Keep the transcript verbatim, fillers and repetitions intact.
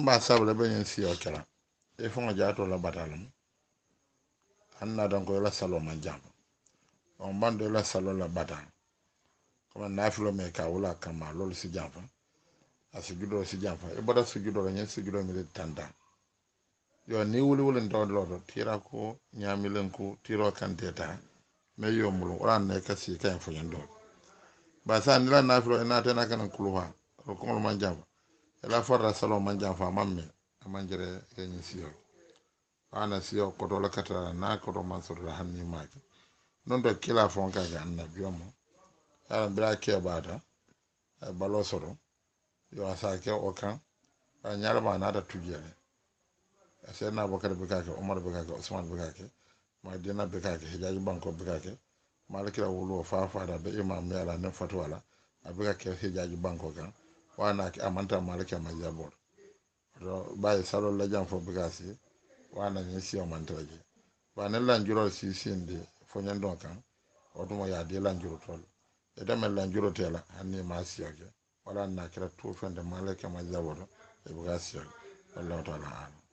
Ba sabula be ñin siyo kela e faŋo jaato la bata lemu haŋ na dan ko la salo man janfa on bando la salo la bata comme nafilo me ka wula kama lolu si janfa, a sujudo si janfa. I bota sujudo la, ñiŋ sujudo mi tanta yo ni wuli wuli ntawo loto tira ko ñaamilen ko tiro kante ta me yo mulu wala ne ka si kaŋ fo ñiŋ do ba sa ni la nafilo ina tena kana kuluha o koŋol man janfa, ila farra salo man janfa, a maŋ me a maŋ jere ye ñiŋ siyo ana siyo koto la katara na koto man soto la hanni make non to kila fon ka ke annabiyo mo yaran bira keɓata balo soto yo a sa ke o kan a ñalama naata tujele. Seydna Aboubacar be ka ke, Omar be ka ke, Ousmane be ka ke, Madina be ka ke, Hijaji banko be ka ke, Malakira wuluwo fa fata be imam yala nin fatuwa la a be ka ke Hijaji banko kan wana amanta Malaki ma jabor to bayi salol la jam fo be ka si wana ñin siyo mantara je ba ne lanjurol si sindi fo ñandon kan o tuma ya di lanjuro tol e dame lanjuro tela hanni ma siyo ke wala na kira tu fende Malaki ma jaboto e be ka siyo ke. Wallahu taala alam.